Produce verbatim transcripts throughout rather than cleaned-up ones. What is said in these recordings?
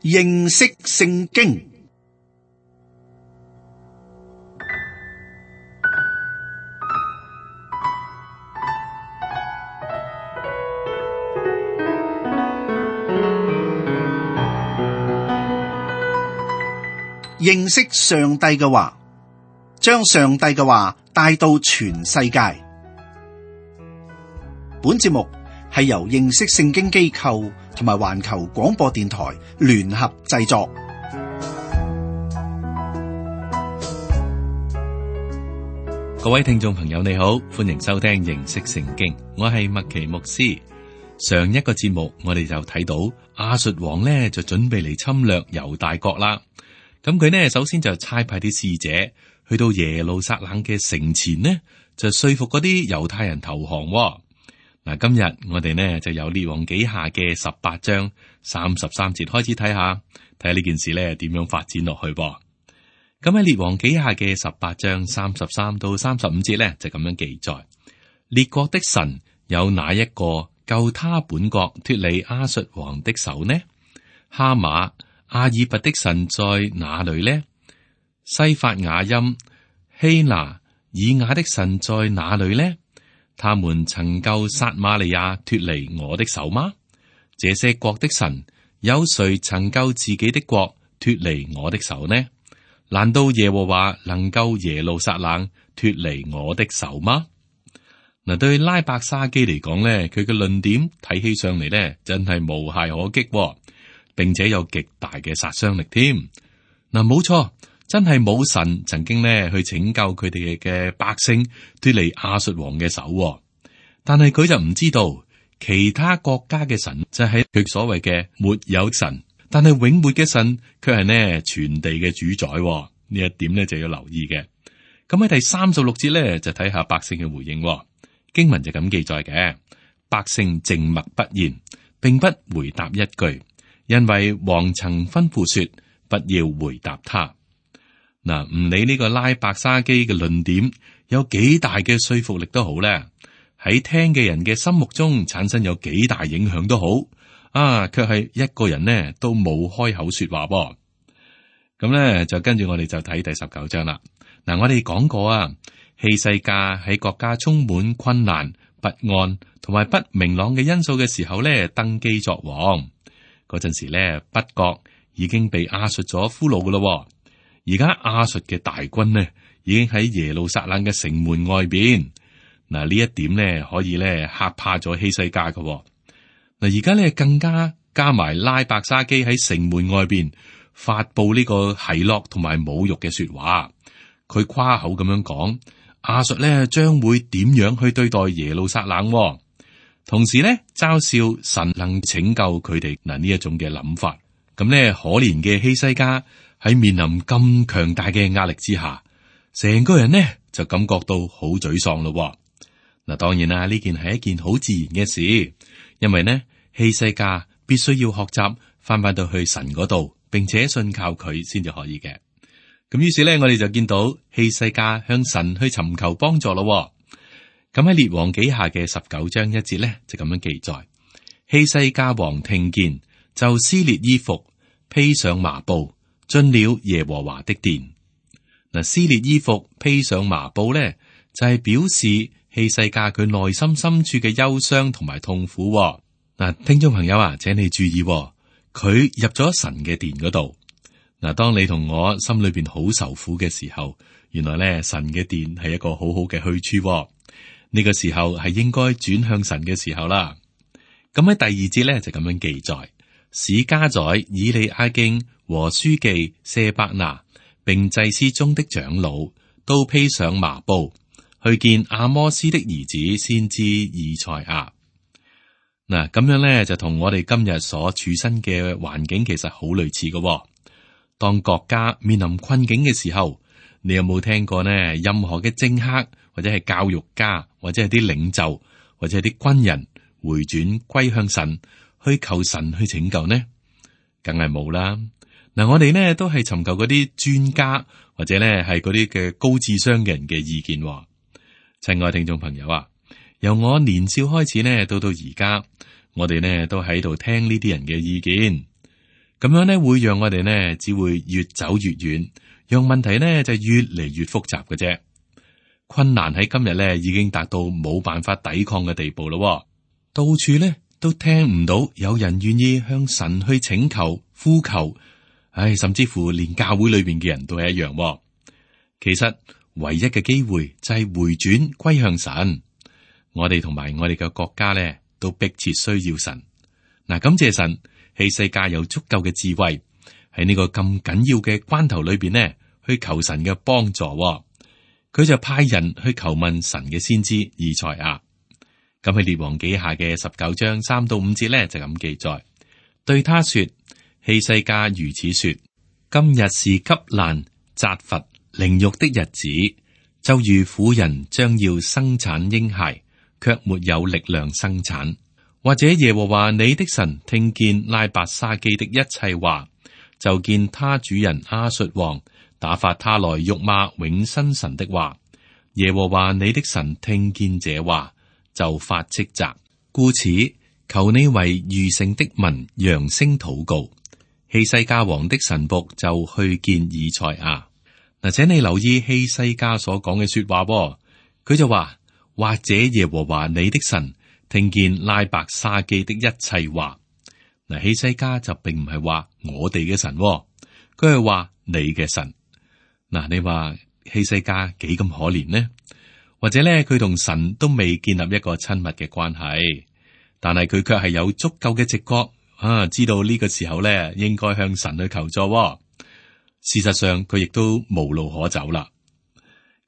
認識聖經。認識上帝嘅話，將上帝嘅話帶到全世界。本節目係由認識聖經機構同埋環球廣播電台聯合製作。各位聽眾朋友你好，歡迎收聽認識聖經，我係麥奇牧師。上一個節目我哋就睇到亞述王呢就準備嚟侵略猶大國啦。咁佢呢首先就差派啲使者去到耶路撒冷嘅城前呢，就說服嗰啲猶太人投降。嗱，今日我哋呢就由列王紀下嘅十八章三十三節開始睇下，睇下呢件事呢點樣發展落去噃。咁喺列王紀下嘅十八章三十三到三十五節呢，就咁樣記載：列國的神有哪一個救他本國脫離亞述王的手呢？哈馬阿爾拔的神在哪裏呢？西法雅音、希拿、以雅的神在哪裏呢？他們曾救撒瑪利亞脫離我的手嗎？這些國的神有誰曾救自己的國脫離我的手呢？難道耶和華能救耶路撒冷脫離我的手嗎？嗱，對拉伯沙基嚟講呢，佢嘅論點睇起上嚟呢，真係無懈可擊，並且有極大嘅殺傷力添。嗱，冇錯，真係冇神曾經呢去拯救佢哋嘅百姓脫離亞述王嘅手。但係佢就唔知道其他國家嘅神就係佢所謂嘅沒有神，但係永活嘅神卻係呢全地嘅主宰。呢一點呢就要留意嘅。咁喺第三十六節呢，就睇下百姓嘅回應。經文就咁記載嘅：百姓靜默不言，並不回答一句。因為王曾吩咐說，不要回答他。嗱，唔理呢個拉伯沙基嘅論點有幾大嘅說服力都好咧，喺聽嘅人嘅心目中產生有幾大影響都好，啊，卻係一個人呢都冇開口說話噃。咁咧就跟住我哋就睇第十九章啦。嗱，我哋講過啊，希西家喺國家充滿困難、不安同埋不明朗嘅因素嘅時候咧，登基作王。嗰陣時咧，北國已經被亞述咗俘虜噶咯。而家亞述嘅大軍呢，已經喺耶路撒冷嘅城門外邊。嗱，呢一點呢，可以咧嚇怕咗希西家噶。嗱，而家咧更加加埋拉伯沙基喺城門外邊發佈呢個奚落同埋侮辱嘅說話。佢誇口咁樣講，亞述咧將會點樣去對待耶路撒冷。同時咧，嘲笑神能拯救佢哋嗱呢一種嘅諗法，咁咧可憐嘅希西家喺面臨咁強大嘅壓力之下，成個人呢就感覺到好沮喪咯。嗱，當然啦，呢件係一件好自然嘅事，因為呢希西家必須要學習翻返到去神嗰度，並且信靠佢先至可以嘅。咁於是咧，我哋就見到希西家向神去尋求幫助咯。咁喺列王紀下嘅十九章一節咧，就咁樣記載：希西家王聽見，就撕裂衣服，披上麻布，進了耶和華的殿。嗱，撕裂衣服，披上麻布咧，就係、是、表示希西家佢內心深處嘅憂傷同埋痛苦。嗱，聽眾朋友啊，請你注意，佢入咗神嘅殿嗰度。嗱，當你同我心裏邊好受苦嘅時候，原來咧神嘅殿係一個好好嘅去處。呢個時候係應該轉向神嘅時候啦。咁喺第二節咧就咁樣記載：史家宰以利亞敬和書記舍伯那，並祭司中的長老，都披上麻布去見阿摩斯的兒子先知以賽亞。嗱，咁樣咧就同我哋今日所處身嘅環境其實好類似嘅。當國家面臨困境嘅時候，你有冇聽過呢？任何嘅政客或者係教育家或者係啲領袖或者係啲軍人回轉歸向神，去求神去拯救呢？梗係冇啦。嗱，我哋呢都係尋求嗰啲專家或者呢係嗰啲嘅高智商嘅人嘅意見。親愛聽眾朋友啊，由我年少開始呢，到到而家，我哋呢都喺度聽呢啲人嘅意見。咁樣咧會讓我哋呢只會越走越遠，讓問題呢就越嚟越複雜嘅啫。困難喺今日咧已經達到冇辦法抵抗嘅地步咯，到處咧都聽唔到有人願意向神去請求、呼求，唉，甚至乎連教會裏邊嘅人都係一樣。其實唯一嘅機會就係回轉歸向神。我哋同埋我哋嘅國家咧都迫切需要神。嗱，感謝神，希西家有足夠嘅智慧喺呢個咁緊要嘅關頭裏邊呢，去求神嘅幫助。佢就派人去求問神嘅先知以賽亞。咁喺列王紀下嘅十九章三到五節咧就咁記載，對他說：希西家如此說，今日是急難、責罰、凌辱的日子，就如婦人將要生產嬰孩，卻沒有力量生產。或者耶和華你的神聽見拉伯沙基的一切話，就見他主人亞述王打發他來辱罵永生神的話。耶和華你的神聽見這話，就發斥責，故此求你為餘剩的民揚聲禱告。希西家王的臣僕就去見以賽亞。嗱，請你留意希西家所講嘅說話，佢就話，或者耶和華你的神聽見拉伯沙基的一切話。嗱，希西家就並唔係話我哋嘅神，佢係話你嘅神。嗱，你話希西家幾咁可憐呢？或者咧，佢同神都未建立一個親密嘅關係，但係佢卻係有足夠嘅直覺啊，知道呢個時候咧應該向神去求助。事實上，佢亦都無路可走啦。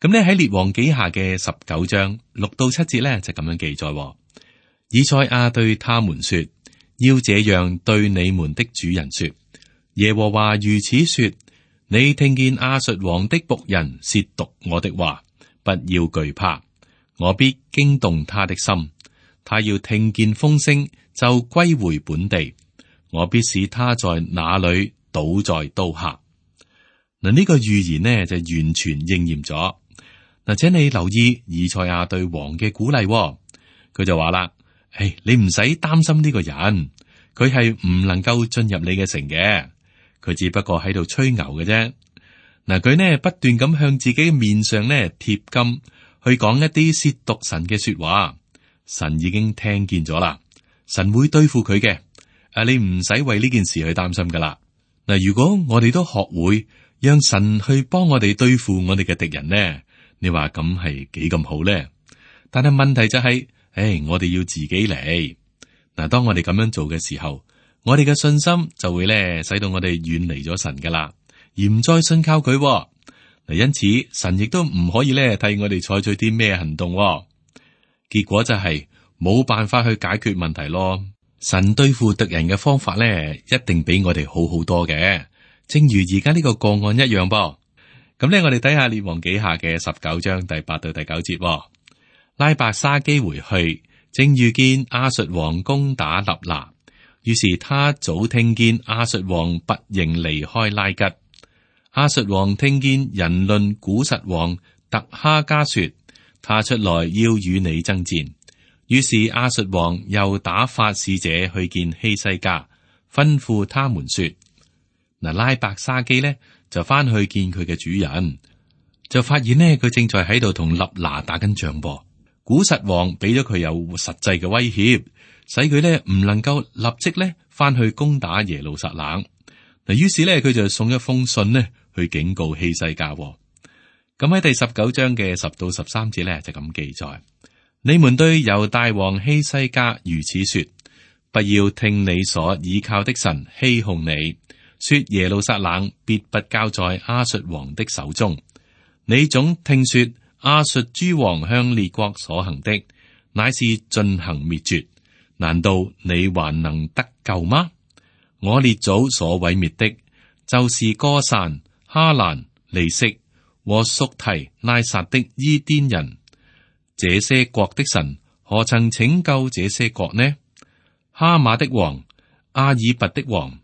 咁咧喺列王紀下嘅十九章六到七節咧就咁樣記載。以賽亞對他們說：要這樣對你們的主人說，耶和華如此說：你聽見亞述王的僕人褻瀆我的話，不要懼怕，我必驚動他的心，他要聽見風聲就歸回本地，我必使他在那裏倒在刀下。嗱，呢個預言呢就完全應驗咗。嗱，請你留意以賽亞對王嘅鼓勵，佢就話啦。誒，你唔使擔心呢個人，佢係唔能夠進入你嘅城嘅，佢只不過喺度吹牛嘅啫。嗱，佢呢不斷咁向自己嘅面上呢貼金，去講一啲褻瀆神嘅說話，神已經聽見咗啦，神會對付佢嘅。啊，你唔使為呢件事去擔心噶啦。嗱，如果我哋都學會讓神去幫我哋對付我哋嘅敵人呢，你話咁係幾咁好呢？但係問題就係。誒，hey, 我哋要自己嚟。嗱，當我哋咁樣做嘅時候，我哋嘅信心就會咧，使到我哋遠離咗神噶啦，而唔再信靠佢。嗱，因此神亦都唔可以咧替我哋採取啲咩行動。結果就係冇辦法去解決問題咯。神對付敵人嘅方法咧，一定比我哋好好多嘅。正如而家呢個個案一樣噃。咁咧，我哋睇下列王紀下嘅十九章第八到第九節。拉伯沙基回去，正遇見亞述王攻打立拿，於是他早聽見亞述王拔營離開拉吉。亞述王聽見人論古實王特哈加說，他出來要與你爭戰。於是亞述王又打發使者去見希西家，吩咐他們說：嗱，拉伯沙基呢就翻去見佢嘅主人，就發現呢佢正在喺度同立拿打緊仗噃。古實王俾咗佢有實際嘅威脅，使佢咧唔能夠立即咧翻去攻打耶路撒冷。嗱，於是咧佢就送一封信呢去警告希西家。咁喺第十九章嘅十到十三節咧就咁記載：你們對猶大王希西家如此說，不要聽你所倚靠的神欺哄你，說耶路撒冷必不交在亞述王的手中。你總聽說亞述諸王向列國所行的，乃是進行滅絕。難道你還能得救嗎？我列祖所毀滅的，就是歌散、哈蘭、利色和屬提拉撒的伊甸人。這些國的神何曾拯救這些國呢？哈馬的王、阿爾拔的王、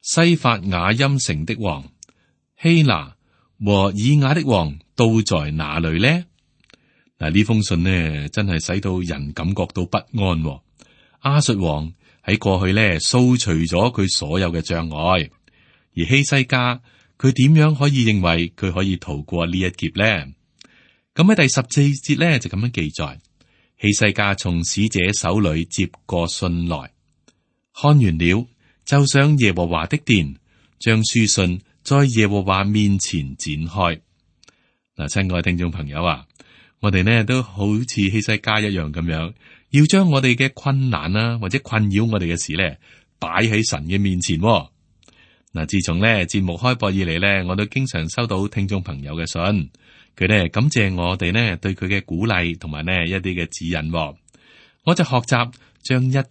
西法雅音城的王、希拿和以雅的王都在哪裏呢？嗱，呢封信呢，真係使到人感覺到不安。亞述王喺過去咧掃除咗佢所有嘅障礙。而希西家佢點樣可以認為佢可以逃過呢一劫呢？咁喺第十四節咧就咁樣記載：希西家從使者手裏接過信來，看完了，就上耶和華的殿，將書信在耶和華面前展開。嗱，親愛的聽眾朋友啊，我哋呢都好似希西家一樣咁樣，要將我哋嘅困難啊或者困擾我哋嘅事咧擺喺神嘅面前。嗱，自從咧節目開播以嚟咧，我都經常收到聽眾朋友嘅信，佢咧感謝我哋呢對佢嘅鼓勵同埋呢一啲嘅指引。我就學習將一切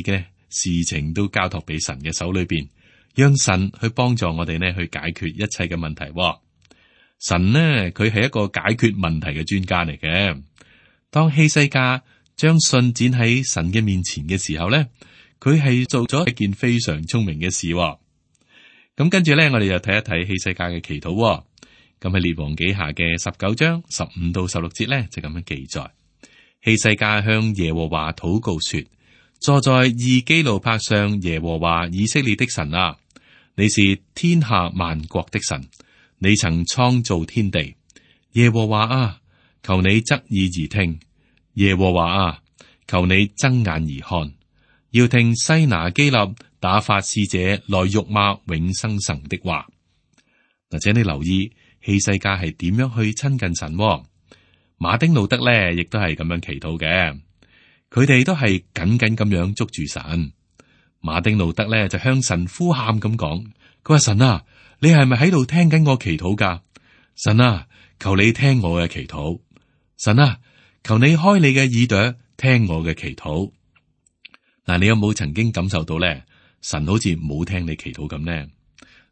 嘅事情都交託俾神嘅手裏邊，讓神去幫助我哋呢去解決一切嘅問題。神呢，佢係一個解決問題嘅專家嚟嘅。當希西家將信展喺神嘅面前嘅時候咧，佢係做咗一件非常聰明嘅事。咁跟住咧，我哋就睇一睇希西家嘅祈禱。咁喺列王紀下嘅十九章十五到十六節咧，就咁樣記載：希西家向耶和華禱告說，坐在二基路伯上耶和華以色列的神啊，你是天下萬國的神。你曾創造天地，耶和華啊，求你側耳而聽；耶和華啊，求你睜眼而看，要聽西拿基立打發使者來辱罵永生神的話。嗱，請你留意希西家係點樣去親近神。馬丁路德咧，亦都係咁樣祈禱嘅，佢哋都係緊緊咁樣捉住神。馬丁路德咧就向神呼喊咁講，佢話：神啊，你係咪喺度聽緊我祈禱噶？神啊，求你聽我嘅祈禱。神啊，求你開你嘅耳朵聽我嘅祈禱。嗱，你有冇曾經感受到咧？神好似冇聽你祈禱咁呢？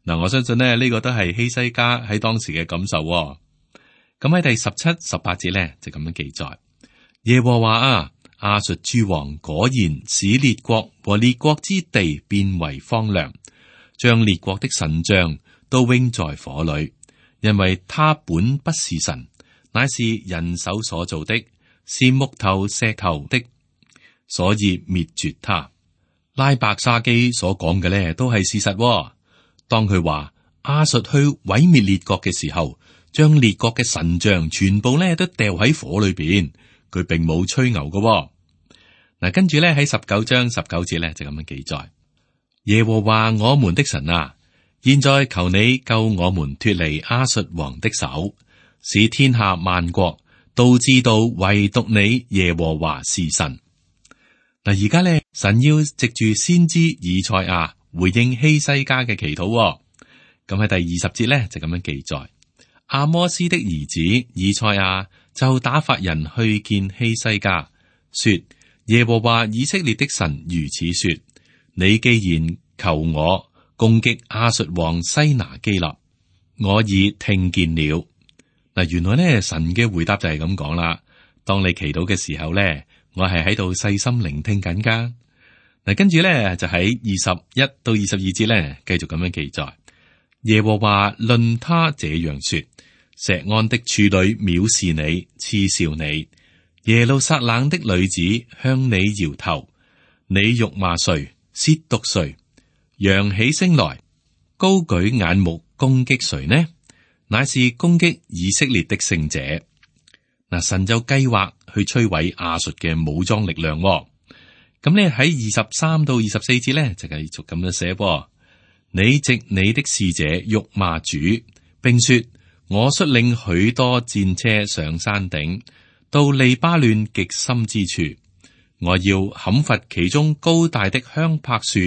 嗱，我相信咧呢個都係希西家喺當時嘅感受。咁喺第十七、十八節咧就咁樣記載：耶和華啊，亞述諸王果然使列國和列國之地變為荒涼，將列國的神像都扔在火裏，因為他本不是神，乃是人手所造的，是木頭石頭的，所以滅絕他。拉伯沙基所講嘅咧都係事實。當佢話亞述去毀滅列國嘅時候，將列國嘅神像全部咧都掉喺火裏邊，佢並冇吹牛嘅。嗱，跟住咧喺十九章十九節咧就咁樣記載：耶和華我們的神啊，現在求你救我們脫離亞述王的手，使天下萬國都知道唯獨你耶和華是神。嗱，而家咧神要藉住先知以賽亞回應希西家嘅祈禱。咁喺第二十節咧就咁樣記載：阿摩斯的兒子以賽亞就打發人去見希西家，說：耶和華以色列的神如此說，你既然求我攻擊亞述王西拿基立，我已聽見了。嗱，原來咧神嘅回答就係咁講啦。當你祈禱嘅時候咧，我係喺度細心聆聽緊噶。嗱，跟住咧就喺二十一到二十二節咧，繼續咁樣記載：耶和華論他這樣說，錫安的處女藐視你，嗤笑你。耶路撒冷的女子向你搖頭，你辱罵誰，褻瀆誰？揚起聲來，高舉眼目攻擊誰呢？乃是攻擊以色列的聖者。嗱，神就計劃去摧毀亞述嘅武裝力量。咁咧喺二十三到二十四節咧就繼續咁樣寫噃：你藉你的使者辱罵主，並說我率領許多戰車上山頂，到利巴嫩極深之處，我要砍伐其中高大的香柏樹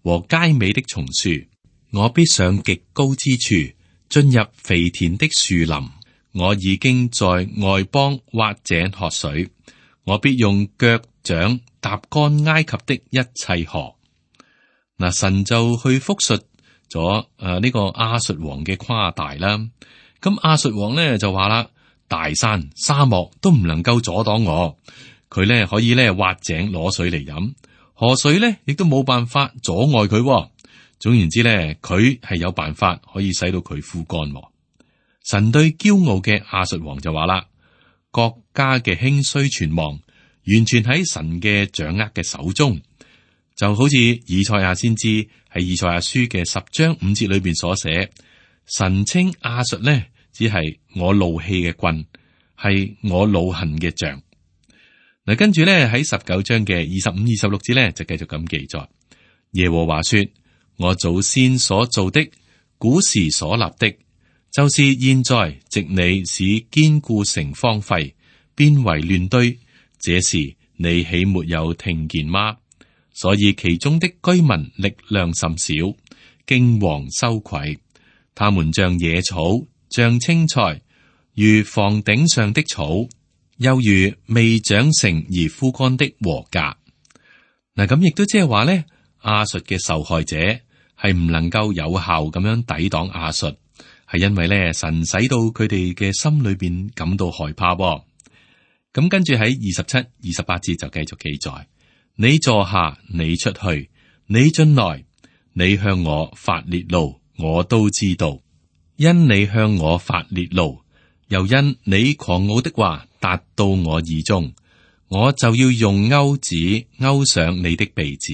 和佳美的松樹，我必上極高之處，進入肥田的樹林。我已經在外邦挖井喝水，我必用腳掌踏乾埃及的一切河。嗱，神就去複述咗誒呢個亞述王嘅誇大啦。咁亞述王咧就話啦：大山沙漠都唔能夠阻擋我，佢咧可以咧挖井攞水嚟飲，河水咧亦都冇辦法阻礙佢。總言之咧，佢係有辦法可以使到佢枯乾。神對驕傲嘅亞述王就話啦：國家嘅興衰存亡，完全喺神嘅掌握嘅手中。就好似以賽亞先知喺以賽亞書嘅十章五節裏邊所寫，神稱亞述呢，只係我怒氣嘅棍，係我惱恨嘅杖。嗱，跟住咧喺十九章嘅二十五、二十六節咧就繼續咁記載，耶和華說：我祖先所做的，古時所立的，就是現在藉你使堅固城荒廢，變為亂堆，這時你豈沒有聽見嗎？所以其中的居民力量甚少，驚惶羞愧，他們像野草，像青菜，如房頂上的草，又如未長成而枯乾的禾稼。嗱，咁亦都即係話咧，亞述嘅受害者係唔能夠有效咁樣抵擋亞述，係因為咧神使到佢哋嘅心裏邊感到害怕。咁跟住喺二十七、二十八節就繼續記載：你坐下，你出去，你進來，你向我發烈怒，我都知道，因你向我發烈怒，又因你狂傲的話達到我耳中，我就要用鈎子勾上你的鼻子，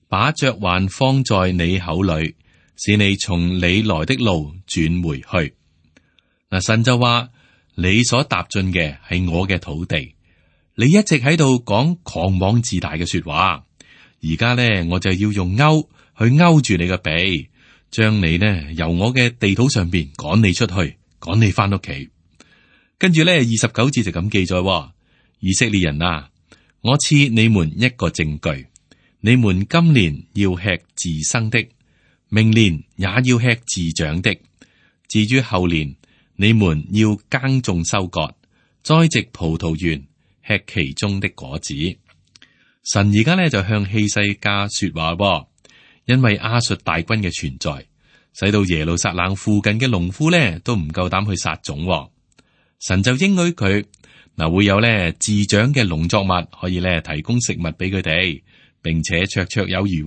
把嚼環放在你口裏，使你從你來的路轉回去。嗱，神就話：你所踏進嘅係我嘅土地，你一直喺度講狂妄自大嘅說話，而家呢，我就要用鈎去勾住你嘅鼻，將你呢由我嘅地土上邊趕你出去，趕你翻屋企。跟住咧，二十九節就咁記載：以色列人啊，我賜你們一個證據，你們今年要吃自生的，明年也要吃自長的。至於後年，你們要耕種收割，栽植葡萄園，吃其中的果子。神而家咧就向希西家說話，因為亞述大軍嘅存在，使到耶路撒冷附近嘅農夫咧都唔夠膽去撒種。神就應許佢嗱，會有咧自長嘅農作物可以咧提供食物俾佢哋，並且綽綽有餘。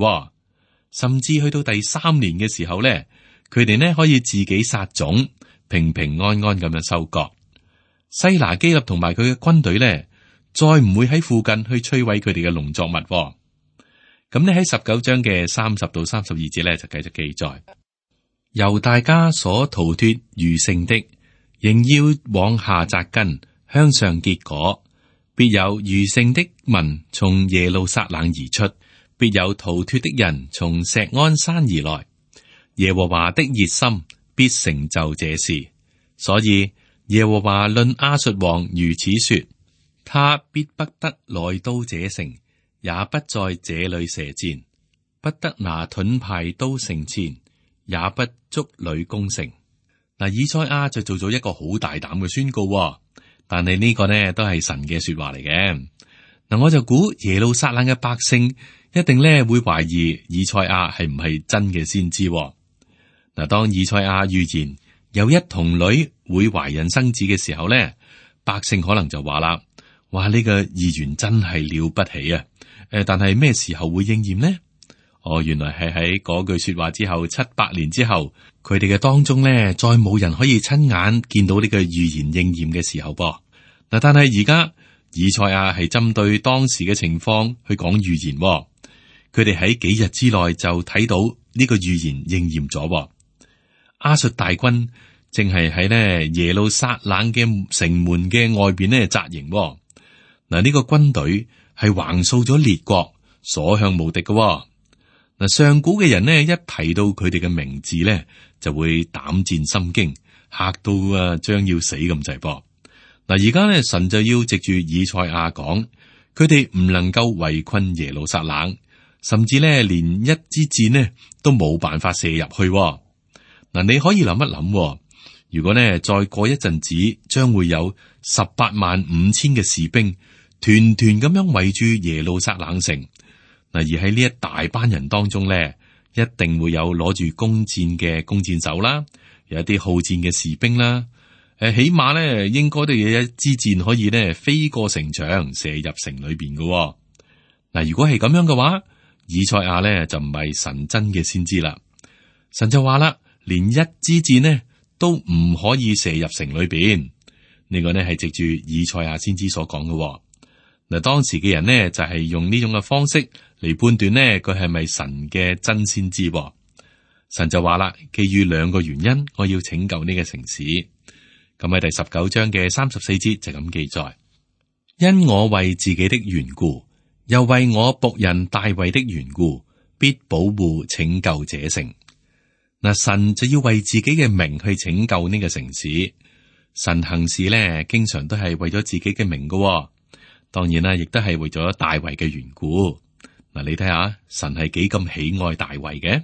甚至去到第三年嘅時候咧，佢哋呢可以自己撒種，平平安安咁樣收割。西拿基立同埋佢嘅軍隊咧，再唔會喺附近去摧毀佢哋嘅農作物。咁呢喺十九章嘅三十到三十二節咧就繼續記載：由大家所逃脫餘剩的，仍要往下扎根，向上結果，必有餘剩的民從耶路撒冷而出，必有逃脫的人從錫安山而來。耶和華的熱心必成就這事，所以耶和華論亞述王如此說：他必不得來到這城，也不在這裏射箭，不得拿盾牌刀勝箭，也不築壘攻城。嗱，以賽亞就做咗一個好大膽嘅宣告，但係呢個呢都係神嘅說話嚟嘅。嗱，我就估耶路撒冷嘅百姓一定咧會懷疑以賽亞係唔係真嘅先知。嗱，當以賽亞預言有一童女會懷孕生子嘅時候咧，百姓可能就話啦：哇，呢個預言真係了不起啊！誒，但係咩時候會應驗呢？哦，原來係喺嗰句說話之後七百年之後，佢哋嘅當中咧，再冇人可以親眼見到呢個預言應驗嘅時候噃。嗱，但係而家以賽亞係針對當時嘅情況去講預言，佢哋喺幾日之內就睇到呢個預言應驗咗。亞述大軍正係喺呢耶路撒冷嘅城門嘅外邊呢紮營。嗱，呢個軍隊係橫掃咗列國，所向無敵嘅。嗱，上古嘅人呢，一提到佢哋嘅名字咧，就會膽戰心驚，嚇到啊，將要死咁滯噃。嗱，而家咧，神就要藉住以賽亞講，佢哋唔能夠圍困耶路撒冷，甚至咧，連一支箭呢都冇辦法射入去。嗱，你可以諗一諗，如果呢再過一陣子，將會有十八萬五千嘅士兵團團咁樣圍住耶路撒冷城。嗱，而喺呢一大班人當中咧，一定會有攞住弓箭嘅弓箭手啦，有一啲好戰嘅士兵啦。誒，起碼咧，應該都有一支箭可以咧飛過城牆，射入城裏邊嘅。嗱，如果係咁樣嘅話，以賽亞咧就唔係神真嘅先知啦。神就話啦，連一支箭呢都唔可以射入城裏邊。呢個呢係藉住以賽亞先知所講嘅。嗱，當時嘅人呢，就係用呢種嘅方式嚟判斷呢，佢係咪神嘅真先知。神就話啦，基於兩個原因，我要拯救呢個城市。咁喺第十九章嘅三十四節就咁記載：因我為自己的緣故，又為我僕人大衛的緣故，必保護拯救這城。嗱，神就要為自己嘅名去拯救呢個城市。神行事咧，經常都係為咗自己嘅名噶。當然啦，亦都係為咗大衛嘅緣故。嗱，你睇下，神係幾咁喜愛大衛嘅？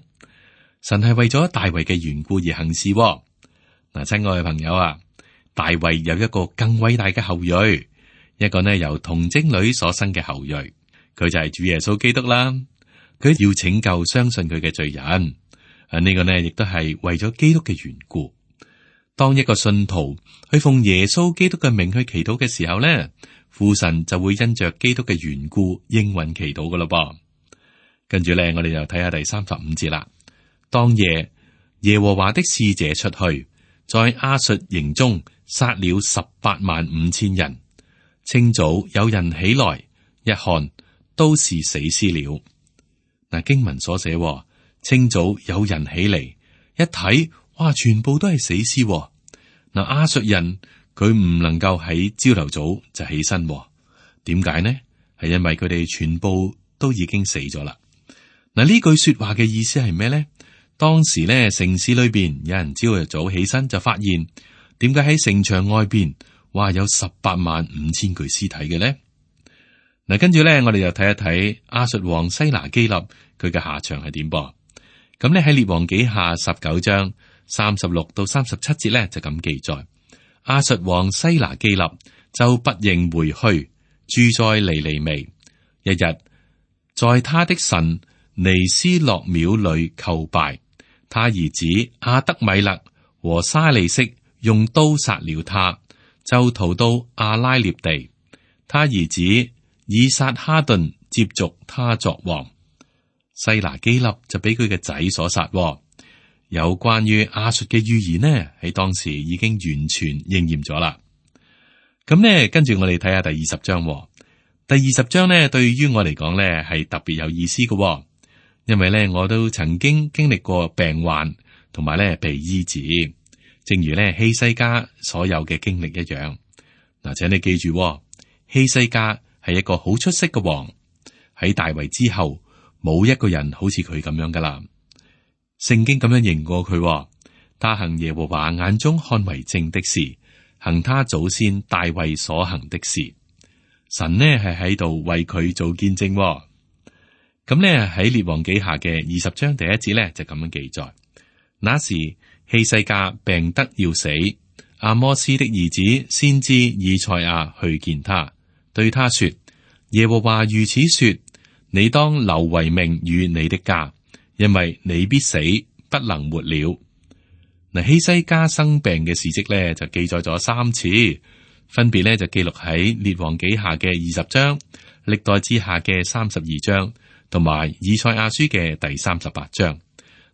神係為咗大衛嘅緣故而行事。嗱，親愛嘅朋友啊，大衛有一個更偉大嘅後裔，一個呢由童貞女所生嘅後裔，佢就係主耶穌基督啦。佢要拯救相信佢嘅罪人。啊，呢個呢亦都係為咗基督嘅緣故。當一個信徒去奉耶穌基督嘅名去祈禱嘅時候呢，父神就會因着基督嘅緣故應允祈禱噶咯噃。跟住咧，我哋就睇下第三十五節啦。當夜，耶和華的使者出去，在亞述營中殺了十八萬五千人。清早有人起來，一看都是死屍了。嗱，經文所寫，清早有人起嚟，一睇，哇，全部都係死屍。嗱，亞述人佢唔能夠喺朝頭早就起身，點解呢？係因為佢哋全部都已經死咗啦。嗱，呢句說話嘅意思係咩呢？當時咧，城市裏邊有人朝頭早起身就發現，點解喺城牆外邊，哇，有十八萬五千具屍體嘅咧？嗱，跟住咧，我哋又睇一睇亞述王西拿基立佢嘅下場係點噃？咁咧喺列王紀下十九章三十六到三十七節咧就咁記載：亞述王西拿基立就不認回去，住在尼尼微，一日在他的神尼斯洛廟裏叩拜。他兒子亞德米勒和沙利色用刀殺了他，就逃到阿拉涅地。他兒子以撒哈頓接續他作王。西拿基立就俾佢嘅仔所殺。有關於亞述嘅預言呢，喺當時已經完全應驗咗啦。咁呢，跟住我哋睇下第二十章。第二十章呢，對於我嚟講呢，係特別有意思嘅。因為咧，我都曾經經歷過病患，同埋咧被醫治，正如咧希西家所有嘅經歷一樣。嗱，請你記住，希西家係一個好出色嘅王，喺大衛之後，冇一個人好似佢咁樣噶啦。聖經咁樣認過佢，他行耶和華眼中看為正的事，行他祖先大衛所行的事。神呢係喺度為佢做見證。咁呢喺列王紀下嘅二十章第一節呢，就咁樣記載：那時希西家病得要死，阿摩斯的兒子先知以賽亞去見他，對他說：耶和華如此說，你當留遺命與你的家，因為你必死，不能活了。嗱，希西家生病嘅事跡呢，就記載咗三次，分別呢就記錄喺列王紀下嘅二十章、歷代志下嘅三十二章。同埋以賽亞書嘅第三十八章，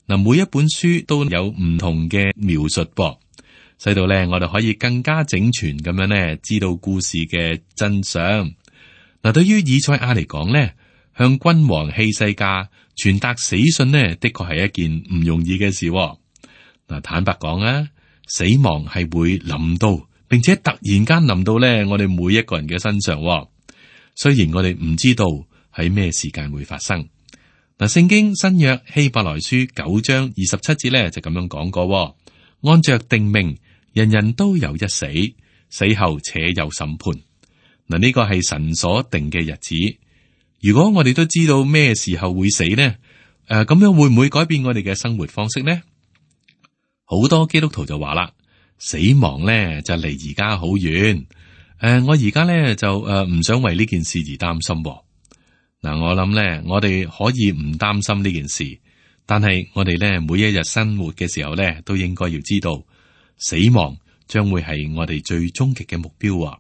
嗱，每一本書都有唔同嘅描述噃，使到咧我哋可以更加整全咁樣咧知道故事嘅真相。嗱，對於以賽亞嚟講咧，向君王希西家傳達死訊呢，的確係一件唔容易嘅事。嗱，坦白講啊，死亡係會臨到，並且突然間臨到咧我哋每一個人嘅身上。雖然我哋唔知道喺咩時間會發生。嗱，聖經新約希伯來書九章二十七節咧就咁樣講過：按着定命，人人都有一死，死後且有審判。嗱，呢個係神所定嘅日子。如果我哋都知道咩時候會死呢？誒，咁樣會唔會改變我哋嘅生活方式呢？好多基督徒就話啦，死亡咧就離而家好遠。誒，我而家咧就誒唔想為呢件事而擔心。嗱，我諗咧，我哋可以唔擔心呢件事，但係我哋咧每一日生活嘅時候咧，都應該要知道死亡將會係我哋最終極嘅目標。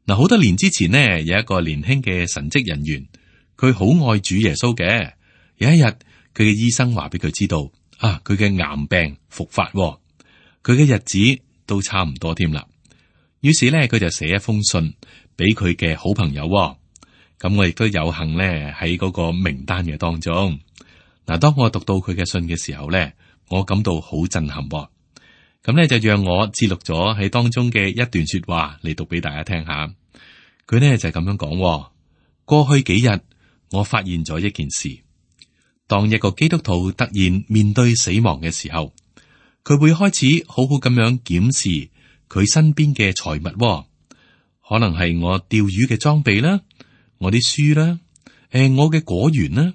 嗱，好多年之前呢，有一個年輕嘅神職人員，佢好愛主耶穌嘅。有一日，佢嘅醫生話俾佢知道，啊，佢嘅癌病復發，佢嘅日子都差唔多添啦。於是咧，佢就寫一封信俾佢嘅好朋友。咁我亦都有幸咧喺嗰個名單嘅當中。嗱，當我讀到佢嘅信嘅時候咧，我感到好震撼。咁咧就讓我記錄咗喺當中嘅一段說話嚟讀俾大家聽下。佢咧就係咁樣講：過去幾日我發現咗一件事，當一個基督徒突然面對死亡嘅時候，佢會開始好好咁樣檢視佢身邊嘅財物，可能係我釣魚嘅裝備啦，我啲書啦，誒，我嘅果園啦，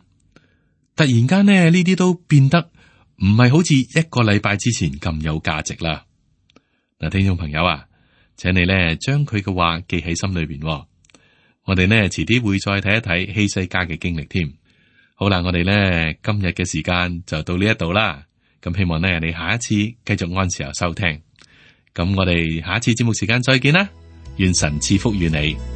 突然間呢，呢啲都變得唔係好似一個禮拜之前咁有價值啦。嗱，聽眾朋友啊，請你呢將佢嘅話記喺心裏邊。我哋呢遲啲會再睇一睇希西家嘅經歷添。好啦，我哋呢今日嘅時間就到呢一度啦。咁希望呢你下一次繼續按時候收聽。咁我哋下一次節目時間再見啦。願神賜福於你。